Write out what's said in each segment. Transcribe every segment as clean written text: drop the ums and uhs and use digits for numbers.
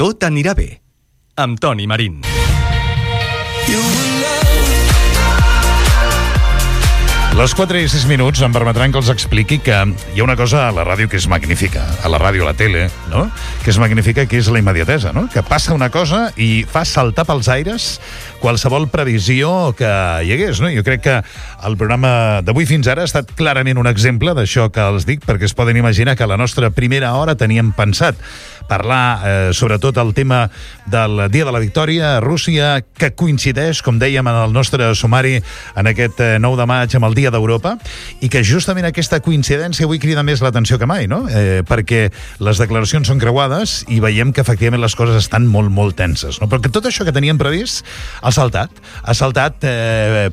Tot anirà bé, amb Toni Marín. Les 4:06 em permetran que els expliqui que hi ha una cosa a la ràdio que és magnífica, a la ràdio, a la tele, no? Que és magnífica, que és la immediatesa, no? Que passa una cosa i fa saltar pels aires qualsevol previsió que hi hagués, no? Jo crec que el programa d'avui fins ara ha estat clarament un exemple d'això que els dic, perquè es poden imaginar que a la nostra primera hora teníem pensat parlar sobretot el tema del Dia de la Victòria a Rússia, que coincideix, com dèiem en el nostre sumari, en aquest 9 de maig amb el Dia d'Europa, i que justament aquesta coincidència avui crida més l'atenció que mai, no? Perquè les declaracions són creuades i veiem que efectivament les coses estan molt, molt tenses, no? Perquè tot això que teníem previst ha saltat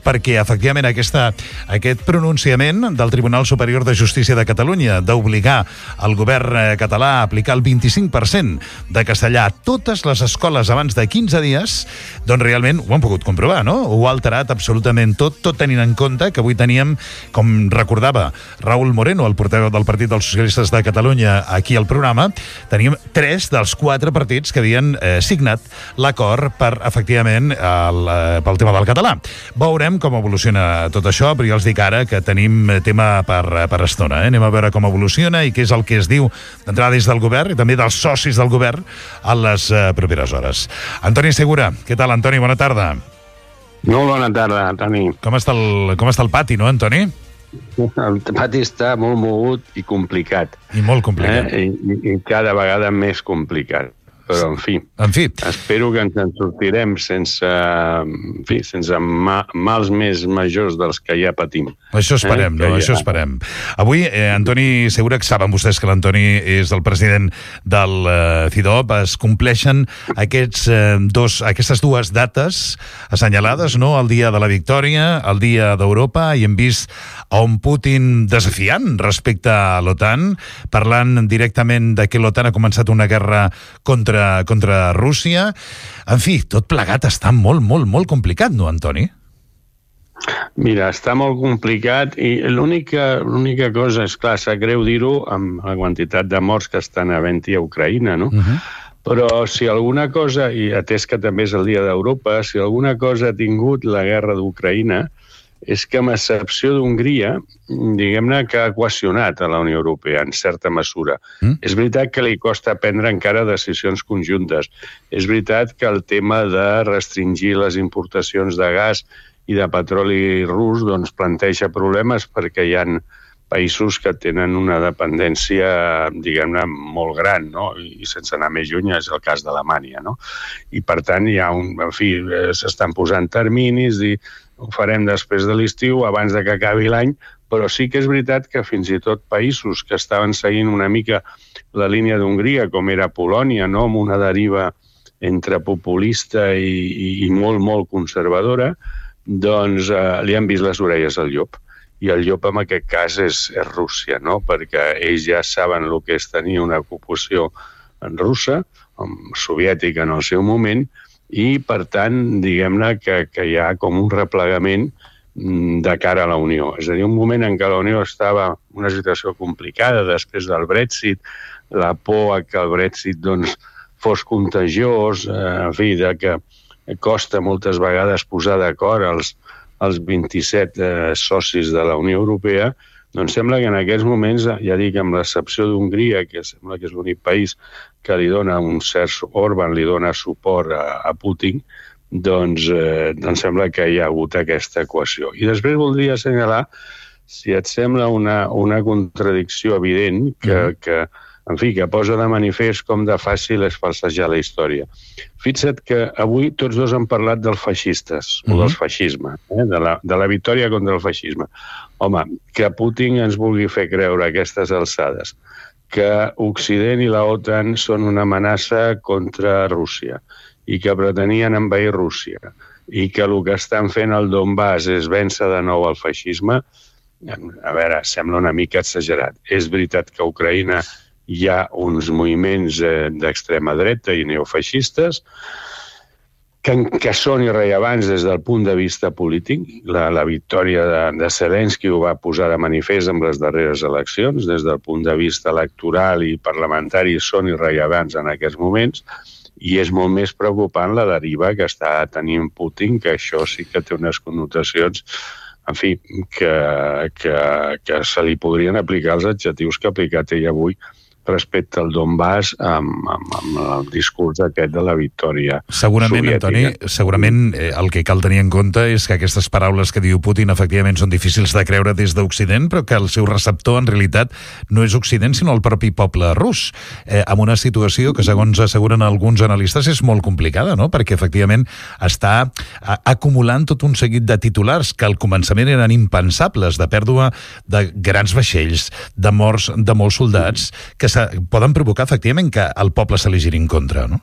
perquè efectivament aquest pronunciament del Tribunal Superior de Justícia de Catalunya d'obligar el govern català a aplicar el 25% de castellà a totes les escoles abans de 15 dies, doncs realment ho han pogut comprovar, no? Ho ha alterat absolutament tot tenint en compte que avui teníem, com recordava Raúl Moreno, el portaveu del Partit dels Socialistes de Catalunya, aquí al programa, teníem 3 dels 4 partits que havien signat l'acord per, efectivament, pel tema del català. Veurem com evoluciona tot això, però ja els dic ara que tenim tema per estona. Anem a veure com evoluciona i què és el que es diu d'entrada des del govern i també dels socis del govern a les properes hores. Antoni Segura, què tal, Antoni? Bona tarda. Molt bona tarda, Toni. Com està el pati, no, Antoni? El pati està molt mogut i complicat. I molt complicat. I cada vegada més complicat. Però, en fi, espero que ens en sortirem sense mals més majors dels que ja patim. Això esperem, no? Això esperem. Avui, Antoni Segura, que saben vostès que l'Antoni és el president del CIDOB, es compleixen aquestes dues dates assenyalades, no? El dia de la Victòria, el dia d'Europa, i hem vist a un Putin desafiant respecte a l'OTAN, parlant directament de que l'OTAN ha començat una guerra contra Rússia. En fi, tot plegat està molt, molt, molt complicat, no, Antoni? Mira, està molt complicat i l'única cosa, és clar, sap greu dir-ho amb la quantitat de morts que estan havent-hi a Ucraïna, no? Però si alguna cosa, i atès que també és el Dia d'Europa, si alguna cosa ha tingut la guerra d'Ucraïna és que, amb excepció d'Hongria, diguem-ne que ha equacionat a la Unió Europea, en certa mesura. És veritat que li costa prendre encara decisions conjuntes. És veritat que el tema de restringir les importacions de gas i de petroli rus doncs planteja problemes perquè hi ha països que tenen una dependència, diguem-ne, molt gran, no? I sense anar més lluny és el cas d'Alemanya, no? I, per tant, hi ha s'estan posant terminis i ho farem després de l'estiu, abans de que acabi l'any, però sí que és veritat que fins i tot països que estaven seguint una mica la línia d'Hongria, com era Polònia, no? Amb una deriva entre populista i molt, molt conservadora, doncs li han vist les orelles al llop. I el llop en aquest cas és Rússia, no? Perquè ells ja saben el que és tenir una ocupació russa, soviètica en el seu moment, i, per tant, diguem-ne que hi ha com un replegament de cara a la Unió. És a dir, un moment en què la Unió estava en una situació complicada després del Brexit, la por que el Brexit fos contagiós, en fi, que costa moltes vegades posar d'acord els 27 socis de la Unió Europea, doncs sembla que en aquests moments, ja dic, amb l'excepció d'Hongria, que sembla que és l'únic país que li dona un cert Orban, li dona suport a Putin, doncs sembla que hi ha hagut aquesta equació. I després voldria assenyalar, si et sembla, una contradicció evident que posa de manifest com de fàcil és falsejar la història. Fixa't que avui tots dos han parlat dels feixistes, o del feixisme, de la victòria contra el feixisme. Home, que Putin ens vulgui fer creure a aquestes alçades que Occident i la OTAN són una amenaça contra Rússia i que pretenien envair Rússia i que el que estan fent al Donbass és vèncer de nou el feixisme, a veure, sembla una mica exagerat. És veritat que a Ucraïna hi ha uns moviments d'extrema dreta i neofeixistes que són irrellevants des del punt de vista polític. La victòria de Zelensky ho va posar de manifest amb les darreres eleccions. Des del punt de vista electoral i parlamentari són irrellevants en aquests moments. I és molt més preocupant la deriva que està tenint Putin, que això sí que té unes connotacions, en fi, que se li podrien aplicar els adjectius que ha aplicat ell avui respecte al Donbass amb el discurs aquest de la victòria soviètica. Antoni, segurament el que cal tenir en compte és que aquestes paraules que diu Putin efectivament són difícils de creure des d'Occident, però que el seu receptor en realitat no és Occident sinó el propi poble rus, amb una situació que segons asseguren alguns analistes és molt complicada, no? Perquè efectivament està acumulant tot un seguit de titulars que al començament eren impensables, de pèrdua de grans vaixells, de morts de molts soldats, que poden provocar efectivament que el poble se li giri en contra, no?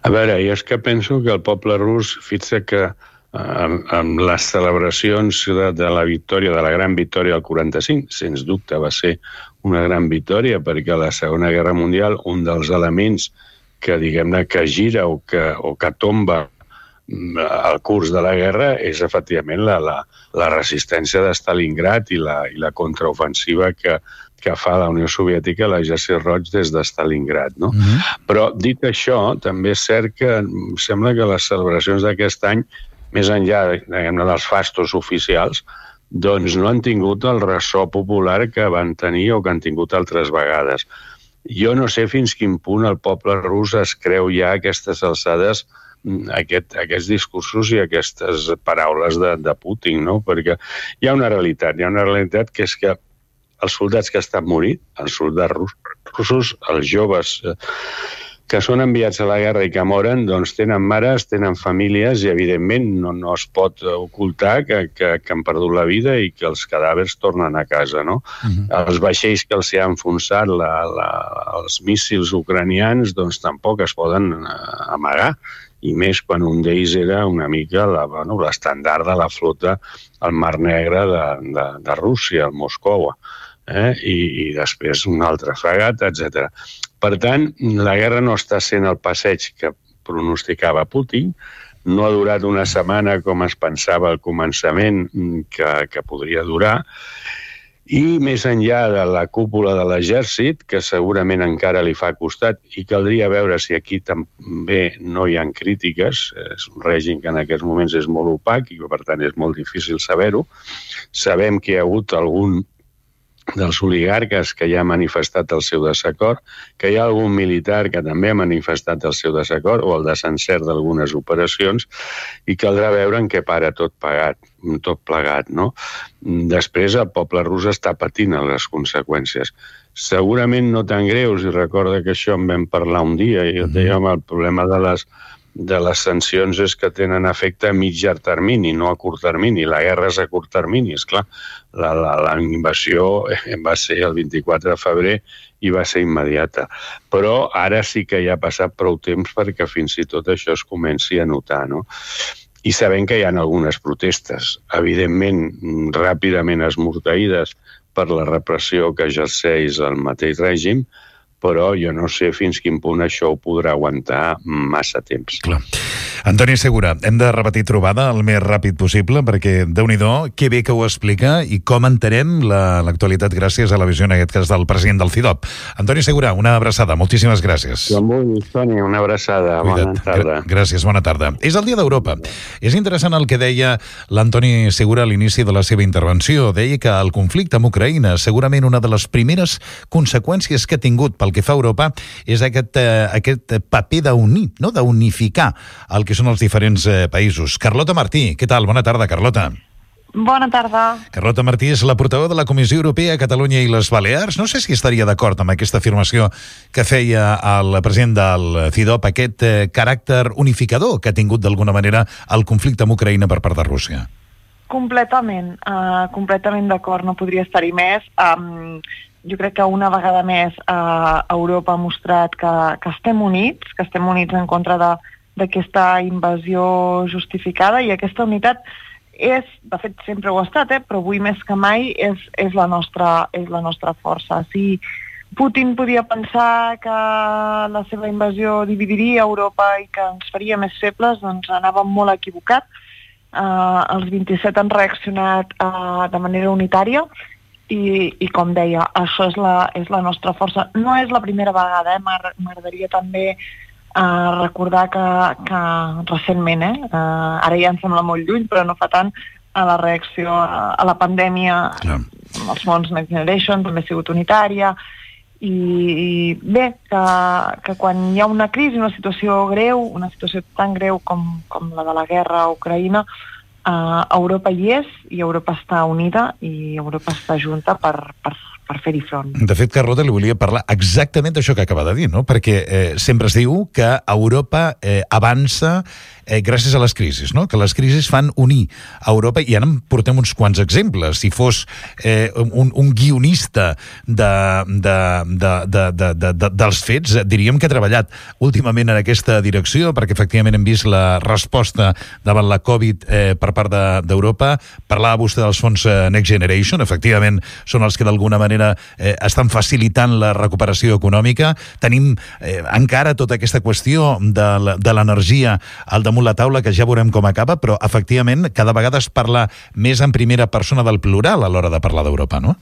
A veure, jo és que penso que el poble rus, fixa que amb les celebracions de la victòria, de la gran victòria del 45, sens dubte va ser una gran victòria, perquè a la Segona Guerra Mundial un dels elements que, diguem-ne, que gira o que tomba el curs de la guerra és efectivament la resistència de Stalingrad i la contraofensiva que fa la Unió Soviètica a l'exèrcit roig des de Stalingrad, no? Però, dit això, també és cert que sembla que les celebracions d'aquest any, més enllà dels fastos oficials, doncs no han tingut el ressò popular que van tenir o que han tingut altres vegades. Jo no sé fins quin punt el poble rus es creu ja a aquestes alçades aquests discursos i aquestes paraules de Putin, no? Perquè hi ha una realitat que és que els soldats que estan morint, els soldats russos, els joves que són enviats a la guerra i que moren, doncs tenen mares, tenen famílies i, evidentment, no es pot ocultar que han perdut la vida i que els cadàvers tornen a casa, no? Els vaixells que els hi han enfonsat els míssils ucranians, doncs tampoc es poden amagar, i més quan un d'ells era una mica l'estandard de la flota al Mar Negre de Rússia, el Moscou, i després una altra fragata, etc. Per tant, la guerra no està sent el passeig que pronosticava Putin, no ha durat una setmana com es pensava al començament que podria durar, i més enllà de la cúpula de l'exèrcit, que segurament encara li fa costat, i caldria veure si aquí també no hi ha crítiques, és un règim que en aquests moments és molt opac i per tant és molt difícil saber-ho. Sabem que hi ha hagut algun dels oligarques que ja ha manifestat el seu desacord, que hi ha algun militar que també ha manifestat el seu desacord o el desencert d'algunes operacions, i caldrà veure en què para tot plegat, no? Després el poble rus està patint les conseqüències. Segurament no tan greus, i recorda que això en vam parlar un dia, i dèiem el problema de les sancions és que tenen efecte a mitjà termini, no a curt termini. La guerra és a curt termini, esclar. La invasió va ser el 24 de febrer i va ser immediata. Però ara sí que ja ha passat prou temps perquè fins i tot això es comenci a notar, no? I sabem que hi ha algunes protestes, evidentment ràpidament esmorteïdes per la repressió que exerceix el mateix règim, però jo no sé fins quin punt això ho podrà aguantar massa temps. Clar. Antoni Segura, hem de repetir trobada el més ràpid possible, perquè, Déu-n'hi-do, que bé que ho explica i com entenem l'actualitat gràcies a la visió, en aquest cas, del president del CIDOB. Antoni Segura, una abraçada, moltíssimes gràcies. Toni, una abraçada, bona tarda. Gràcies, bona tarda. És el Dia d'Europa. És interessant el que deia l'Antoni Segura a l'inici de la seva intervenció. Deia que el conflicte amb Ucraïna, segurament una de les primeres conseqüències que ha tingut pel que fa a Europa és aquest paper d'unir, no? D'unificar el que són els diferents països. Carlota Martí, què tal? Bona tarda, Carlota. Bona tarda. Carlota Martí és la portaveu de la Comissió Europea, Catalunya i les Balears. No sé si estaria d'acord amb aquesta afirmació que feia el president del CIDOB, aquest caràcter unificador que ha tingut d'alguna manera el conflicte amb Ucraïna per part de Rússia. Completament d'acord, no podria estar-hi més. Jo crec que una vegada més Europa ha mostrat que estem units en contra d'aquesta invasió justificada, i aquesta unitat és, de fet sempre ho ha estat, però avui més que mai és la nostra força. Si Putin podia pensar que la seva invasió dividiria Europa i que ens faria més febles, doncs anava molt equivocat. Els 27 han reaccionat de manera unitària i com deia, això és la nostra força. No és la primera vegada, m'agradaria també Recordar que recentment, ara ja em sembla molt lluny, però no fa tant, a la reacció a la pandèmia, els fons Next Generation també ha sigut unitària, i bé, que quan hi ha una crisi, una situació greu, una situació tan greu com la de la guerra a Ucraïna, Europa hi és, i Europa està unida, i Europa està junta per fer-hi front. De fet, Carlota, li volia parlar exactament d'això que acaba de dir, no? Perquè sempre es diu que Europa avança gràcies a les crisis, no? Que les crisis fan unir a Europa, i ara en portem uns quants exemples. Si fos un guionista dels fets, diríem que ha treballat últimament en aquesta direcció, perquè efectivament hem vist la resposta davant la Covid per part d'Europa. Parlava vostè dels fons Next Generation, efectivament són els que d'alguna manera estan facilitant la recuperació econòmica. Tenim encara tota aquesta qüestió de l'energia al damunt la taula, que ja veurem com acaba, però efectivament cada vegada es parla més en primera persona del plural a l'hora de parlar d'Europa, no?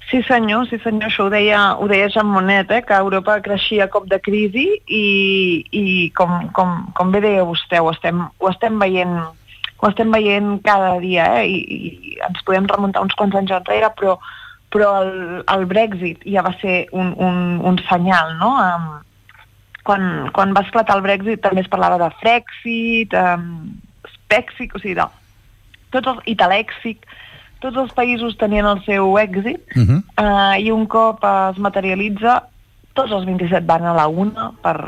Sí senyor, això ho deia Jean Monnet, que Europa creixia a cop de crisi, i com bé deia vostè, ho estem veient cada dia, i ens podem remuntar uns quants anys enrere, però el Brexit ja va ser un senyal, no? Quan va esclatar el Brexit també es parlava de Frexit, Spexic, o sigui, Italèxic, tots els països tenien el seu èxit, i un cop es materialitza, tots els 27 van a la una per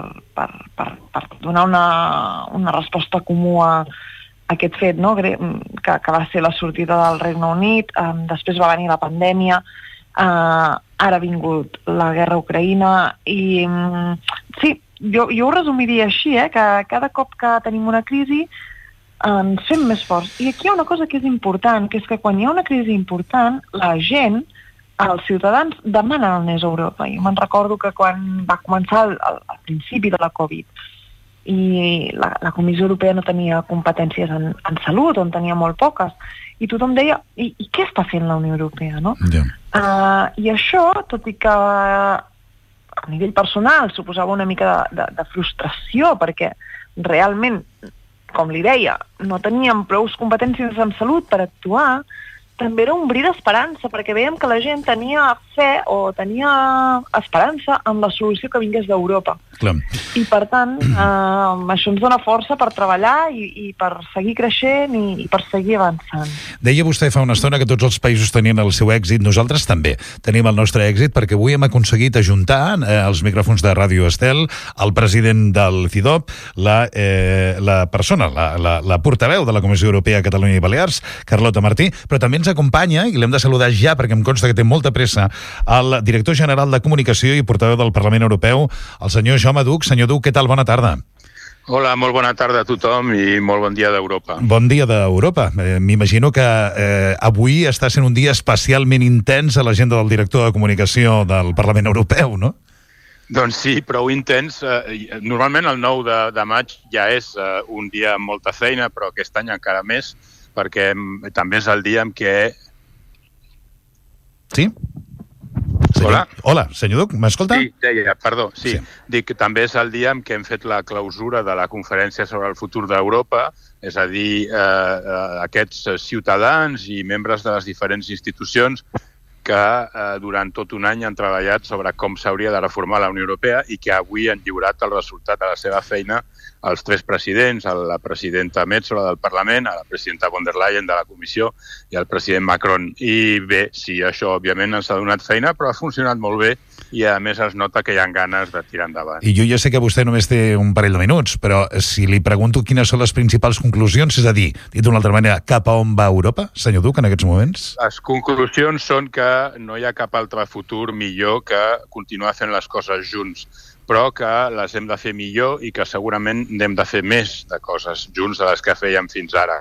donar una resposta comú a aquest fet, no? que va ser la sortida del Regne Unit, després va venir la pandèmia, ara ha vingut la guerra a Ucraïna, i sí, jo ho resumiria així, que cada cop que tenim una crisi ens fem més forts. I aquí hi ha una cosa que és important, que és que quan hi ha una crisi important, la gent, els ciutadans, demanen el més a Europa. I me'n recordo que quan va començar al principi de la Covid, i la Comissió Europea no tenia competències en salut, on tenia molt poques, i tothom deia, i què està fent la Unió Europea, no? I això, tot i que a nivell personal suposava una mica de frustració, perquè realment, com li deia, no teníem prou competències en salut per actuar, també era un bri d'esperança, perquè veiem que la gent tenia fe o tenia esperança en la solució que vingués d'Europa. Clar. I per tant, això ens dona força per treballar i per seguir creixent i per seguir avançant. Deia vostè fa una estona que tots els països tenien el seu èxit, nosaltres també tenim el nostre èxit, perquè avui hem aconseguit ajuntar els micròfons de Ràdio Estel, el president del CIDOB, la persona, la portaveu de la Comissió Europea a Catalunya i Balears, Carlota Martí, però també ens acompanya, i l'hem de saludar ja perquè em consta que té molta pressa, el director general de Comunicació i portaveu del Parlament Europeu, el senyor Jaume Duch. Senyor Duch, què tal? Bona tarda. Hola, molt bona tarda a tothom i molt bon dia d'Europa. Bon dia d'Europa. M'imagino que avui està sent un dia especialment intens a l'agenda del director de Comunicació del Parlament Europeu, no? Doncs sí, prou intens. Normalment el 9 de maig ja és un dia amb molta feina, però aquest any encara més, perquè també és el dia en què... Sí? Hola, senyor Duch, m'escolta? Sí, deia, perdó, sí. Dic que també és el dia en què hem fet la clausura de la conferència sobre el futur d'Europa, és a dir, aquests ciutadans i membres de les diferents institucions que durant tot un any han treballat sobre com s'hauria de reformar la Unió Europea i que avui han lliurat el resultat de la seva feina als tres presidents, a la presidenta Metsola del Parlament, a la presidenta von der Leyen de la Comissió i al president Macron. I bé, sí, això òbviament ens ha donat feina, però ha funcionat molt bé i a més es nota que hi ha ganes de tirar endavant. I jo ja sé que vostè només té un parell de minuts, però si li pregunto quines són les principals conclusions, és a dir, dit d'una altra manera, cap a on va Europa, senyor Duch, en aquests moments? Les conclusions són que no hi ha cap altre futur millor que continuar fent les coses junts, però que les hem de fer millor i que segurament n'hem de fer més de coses junts de les que fèiem fins ara.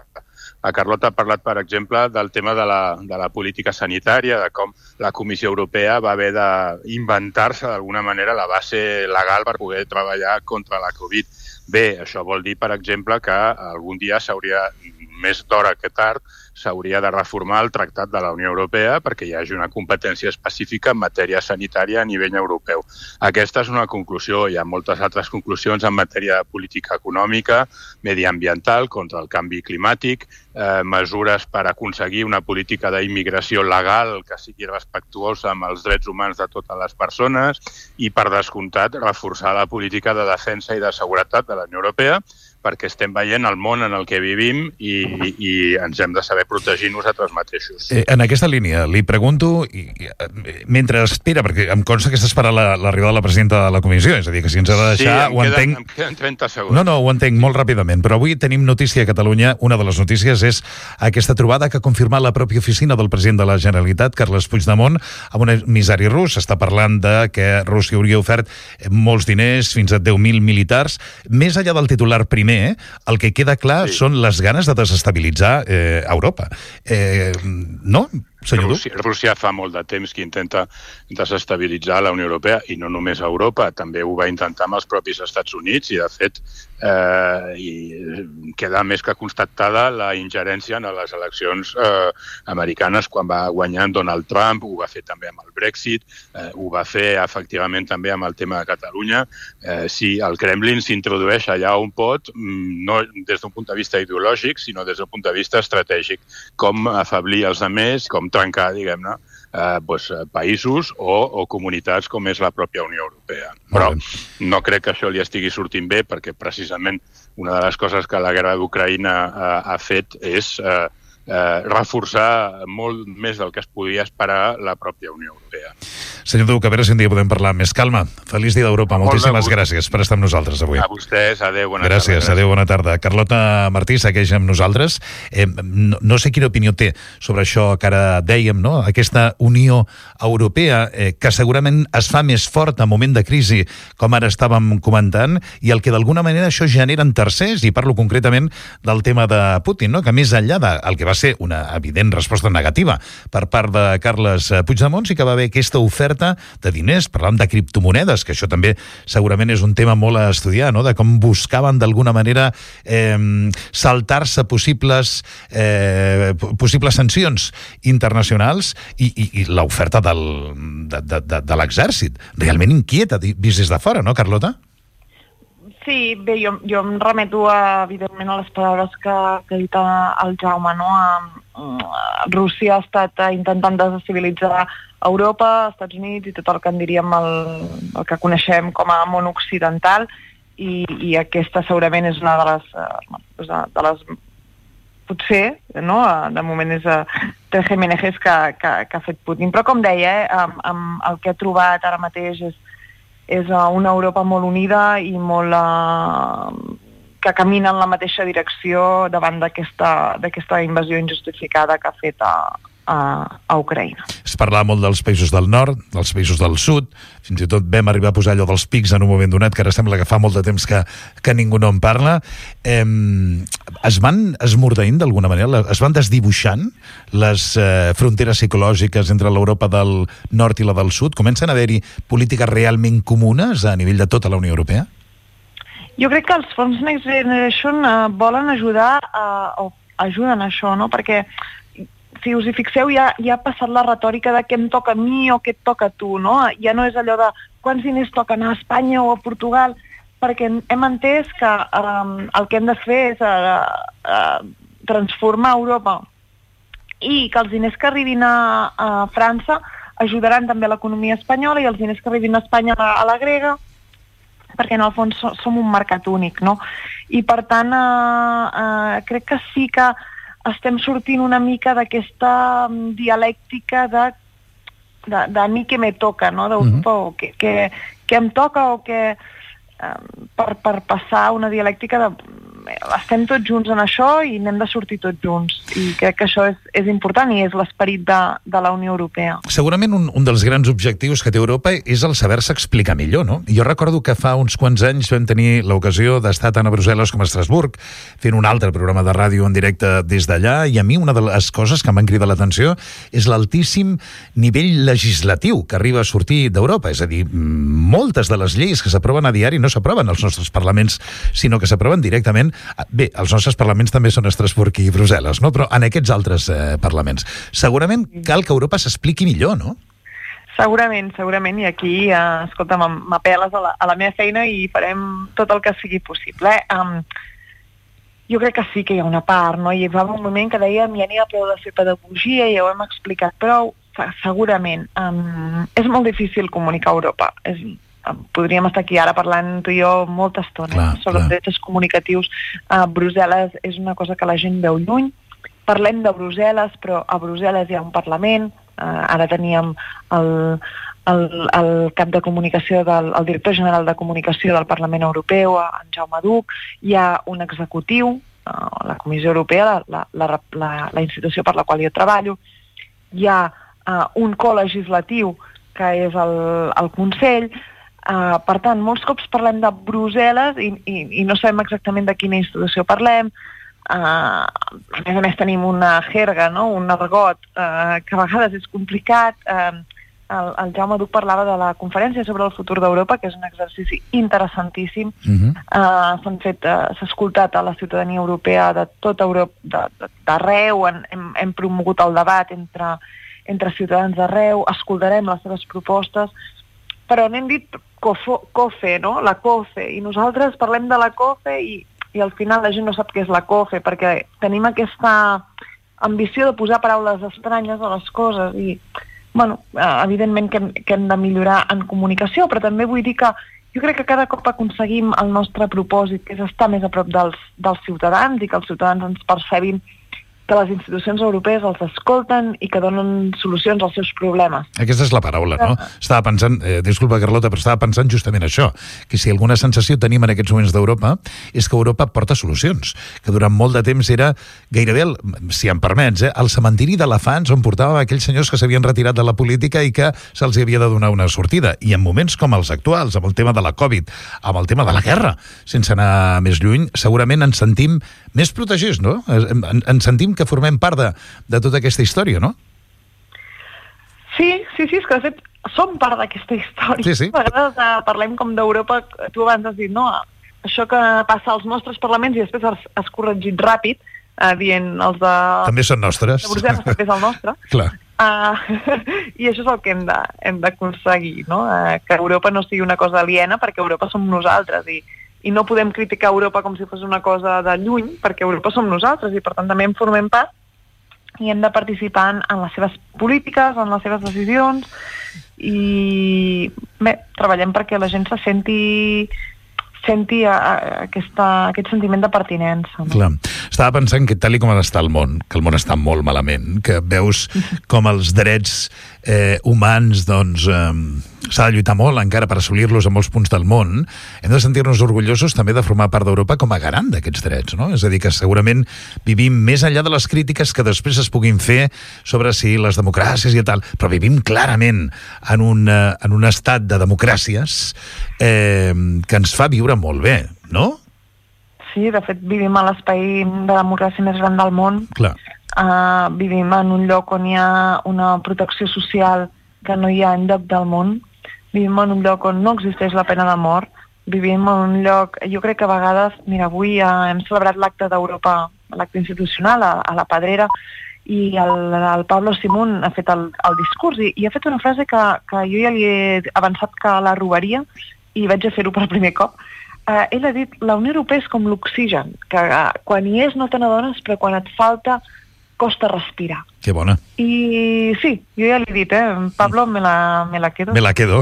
La Carlota ha parlat, per exemple, del tema de la política sanitària, de com la Comissió Europea va haver d'inventar-se d'alguna manera la base legal per poder treballar contra la Covid. Bé, això vol dir, per exemple, que algun dia s'hauria, més d'hora que tard, s'hauria de reformar el Tractat de la Unió Europea perquè hi hagi una competència específica en matèria sanitària a nivell europeu. Aquesta és una conclusió. Hi ha moltes altres conclusions en matèria de política econòmica, mediambiental, contra el canvi climàtic, mesures per aconseguir una política d'immigració legal que sigui respectuosa amb els drets humans de totes les persones i, per descomptat, reforçar la política de defensa i de seguretat de la Unió Europea, perquè estem veient el món en el que vivim i ens hem de saber protegir nosaltres mateixos. En aquesta línia, li pregunto, mentre espera, perquè em consta que està esperant l'arribada de la presidenta de la comissió, és a dir, que si ens ha de deixar, ho entenc... em queden 30 segons. No, ho entenc molt ràpidament, però avui tenim notícia a Catalunya. Una de les notícies és aquesta trobada que ha confirmat la pròpia oficina del president de la Generalitat, Carles Puigdemont, amb un emissari rus. Està parlant de que Rússia hauria ofert molts diners, fins a 10.000 militars. Més enllà del titular primer, el que queda clar són les ganes de desestabilitzar Europa. No, senyor Duc? Rússia fa molt de temps que intenta desestabilitzar la Unió Europea i no només Europa, també ho va intentar amb els propis Estats Units i, de fet, queda més que constatada la ingerència en les eleccions americanes quan va guanyar Donald Trump, ho va fer també amb el Brexit, ho va fer efectivament també amb el tema de Catalunya. Si el Kremlin s'introdueix allà on pot, no des d'un punt de vista ideològic, sinó des d'un punt de vista estratègic, com afeblir els altres, com trencar, diguem-ne, països o comunitats com és la pròpia Unió Europea. Però no crec que això li estigui sortint bé perquè precisament una de les coses que la guerra d'Ucraïna ha fet és reforçar molt més del que es podia esperar la pròpia Unió Europea. Senyor Duc, a veure si un dia podem parlar amb més calma. Feliç dia d'Europa. Moltíssimes gràcies per estar amb nosaltres avui. A vostès, adéu, bona tarda. Gràcies, adéu, bona tarda. Carlota Martí segueix amb nosaltres. No sé quina opinió té sobre això que ara dèiem, no? Aquesta Unió Europea que segurament es fa més forta en moment de crisi, com ara estàvem comentant, i el que d'alguna manera això genera en tercers, i parlo concretament del tema de Putin, no? Que més enllà del que va ser una evident resposta negativa per part de Carles Puigdemont, sí que va haver aquesta oferta de diners, parlant de criptomonedes, que això també segurament és un tema molt a estudiar, no? De com buscaven d'alguna manera saltar-se possibles sancions internacionals i l'oferta de l'exèrcit. Realment inquieta, vist des de fora, no, Carlota? Sí, bé, jo em remeto, evidentment, a les paraules que ha dit el Jaume, no? Rússia ha estat intentant desestabilitzar Europa, Estats Units i tot el que en diríem el que coneixem com a món occidental i aquesta segurament és una de les potser, no? De moment és Tres Jiménez que ha fet Putin. Però com deia, el que ha trobat ara mateix és una Europa molt unida i molt que camina en la mateixa direcció davant d'aquesta invasió injustificada que ha fet a Ucraïna. Es parlava molt dels països del nord, dels països del sud, fins i tot vam arribar a posar allò dels pics en un moment donat, que ara sembla que fa molt de temps que ningú no en parla. Es van esmordeint d'alguna manera, es van desdibuixant les fronteres psicològiques entre l'Europa del nord i la del sud? Comencen a haver-hi polítiques realment comunes a nivell de tota la Unió Europea? Jo crec que els fons Next Generation volen ajudar o ajuden a això, no? Perquè si us hi fixeu, ja ha passat la retòrica de què em toca a mi o què et toca a tu, no? Ja no és allò de quants diners toquen a Espanya o a Portugal, perquè hem entès que el que hem de fer és transformar Europa i que els diners que arribin a França ajudaran també a l'economia espanyola i els diners que arribin a Espanya a la grega, perquè en el fons som un mercat únic, no? I per tant crec que sí que estem sortint una mica d'aquesta dialèctica de a mi què me toca, no? D'Europa, o què em toca, o què... per passar una dialèctica de estem tots junts en això i n'hem de sortir tots junts, i crec que això és important i és l'esperit de la Unió Europea. Segurament un dels grans objectius que té Europa és el saber-se explicar millor, no? Jo recordo que fa uns quants anys vam tenir l'ocasió d'estar tant a Brussel·les com a Estrasburg fent un altre programa de ràdio en directe des d'allà, i a mi una de les coses que em van cridar l'atenció és l'altíssim nivell legislatiu que arriba a sortir d'Europa, és a dir, moltes de les lleis que s'aproven a diari no s'aproven als nostres parlaments, sinó que s'aproven directament Bé, els nostres parlaments també són Estrasburg i Brussel·les, no? Però en aquests altres parlaments segurament cal que Europa s'expliqui millor, no? Segurament, i aquí, escolta, m'apel·les a la meva feina i farem tot el que sigui possible. Jo crec que sí que hi ha una part, no? Hi va un moment que dèiem ja n'hi ha prou de fer pedagogia, ja ho hem explicat prou, segurament. És molt difícil comunicar Europa. Podríem estar aquí ara parlant tu i jo molta estona sobre els drets comunicatius. Brussel·les és una cosa que la gent veu lluny. Parlem de Brussel·les, però a Brussel·les hi ha un Parlament. Ara teníem el cap de comunicació, el director general de comunicació del Parlament Europeu, en Jaume Duch. Hi ha un executiu, la Comissió Europea, la institució per la qual jo treballo. Hi ha un colegislatiu, que és el Consell. Per tant, molts cops parlem de Brussel·les i no sabem exactament de quina institució parlem. A més tenim una jerga, no? Un argot que a vegades és complicat. El Jaume Duch parlava de la conferència sobre el futur d'Europa, que és un exercici interessantíssim. S'ha escoltat a la ciutadania europea de tota Europa, d'arreu, hem promogut el debat entre ciutadans d'arreu, escoltarem les seves propostes, però n'hem dit COFE, no? La COFE, i nosaltres parlem de la COFE i al final la gent no sap què és la COFE, perquè tenim aquesta ambició de posar paraules estranyes a les coses i, bueno, evidentment que hem de millorar en comunicació, però també vull dir que jo crec que cada cop aconseguim el nostre propòsit, que és estar més a prop dels ciutadans i que els ciutadans ens percebin que les institucions europees els escolten i que donen solucions als seus problemes. Aquesta és la paraula, no? Estava pensant, disculpa Carlota, però estava pensant justament això, que si alguna sensació tenim en aquests moments d'Europa és que Europa porta solucions, que durant molt de temps era gairebé, si em permets, el cementiri d'elefants on portàvem aquells senyors que s'havien retirat de la política i que se'ls havia de donar una sortida. I en moments com els actuals, amb el tema de la Covid, amb el tema de la guerra, sense anar més lluny, segurament ens sentim més protegits, no? Ens sentim que formem part de tota aquesta història, no? Sí, és que de fet som part d'aquesta història. Sí. A vegades parlem com d'Europa, tu abans has dit, no, això que passa als nostres parlaments i després has corregit ràpid, dient els de... També són nostres. De Brussel·les també és el nostre. Clar. I això és el que hem d'aconseguir, no? Que Europa no sigui una cosa aliena, perquè Europa som nosaltres i no podem criticar Europa com si fos una cosa de lluny, perquè Europa som nosaltres i per tant també en formem part i hem de participar en les seves polítiques, en les seves decisions i bé, treballem perquè la gent se senti aquest sentiment de pertinença. No? Clar. Estava pensant que tal com està el món, que el món està molt malament, que veus com els drets humans, doncs, s'ha de lluitar molt encara per assolir-los a molts punts del món, hem de sentir-nos orgullosos també de formar part d'Europa com a garant d'aquests drets, no? És a dir, que segurament vivim més enllà de les crítiques que després es puguin fer sobre si les democràcies i tal, però vivim clarament en un estat de democràcies que ens fa viure molt bé, no? Sí, de fet vivim a l'espai de democràcia més gran del món. Clar. Vivim en un lloc on hi ha una protecció social que no hi ha enlloc del món. Vivim en un lloc on no existeix la pena de mort. Vivim en un lloc... Jo crec que a vegades... Mira, avui hem celebrat l'acte d'Europa, l'acte institucional a la Pedrera, i el Pablo Simón ha fet el discurs i ha fet una frase que jo ja li he avançat que la robaria i vaig a fer-ho per primer cop. Ell ha dit, la Unió Europea és com l'oxigen, que quan hi és no te n'adones, però quan et falta costa respirar. Que bona. I sí, jo ja l'he dit, Pablo, me la quedo. Me la quedo.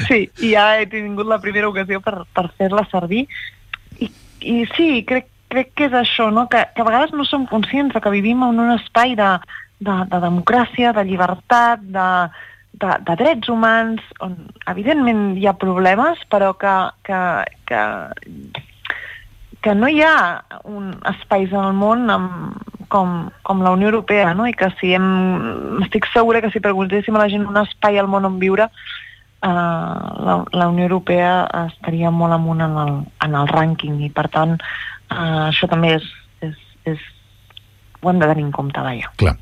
Sí, i ja he tingut la primera ocasió per fer-la servir. I sí, crec que és això, no? Que a vegades no som conscients que vivim en un espai de democràcia, de llibertat, de drets humans, on evidentment hi ha problemes, però que no hi ha espais en el món com la Unió Europea, no? I que estic segura que si preguntéssim a la gent un espai al món on viure, la Unió Europea estaria molt amunt en el rànquing i per tant això també ho hem de tenir en compte, vaja. Clar.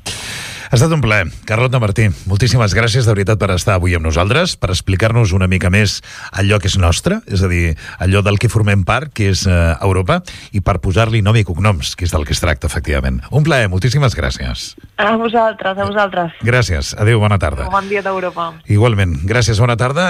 Ha estat un plaer. Carlota Martí, moltíssimes gràcies de veritat per estar avui amb nosaltres, per explicar-nos una mica més allò que és nostre, és a dir, allò del que formem part, que és Europa, i per posar-li nom i cognoms, que és del que es tracta, efectivament. Un plaer, moltíssimes gràcies. A vosaltres, a vosaltres. Gràcies. Adéu, bona tarda. Bon dia d'Europa. Igualment. Gràcies, bona tarda.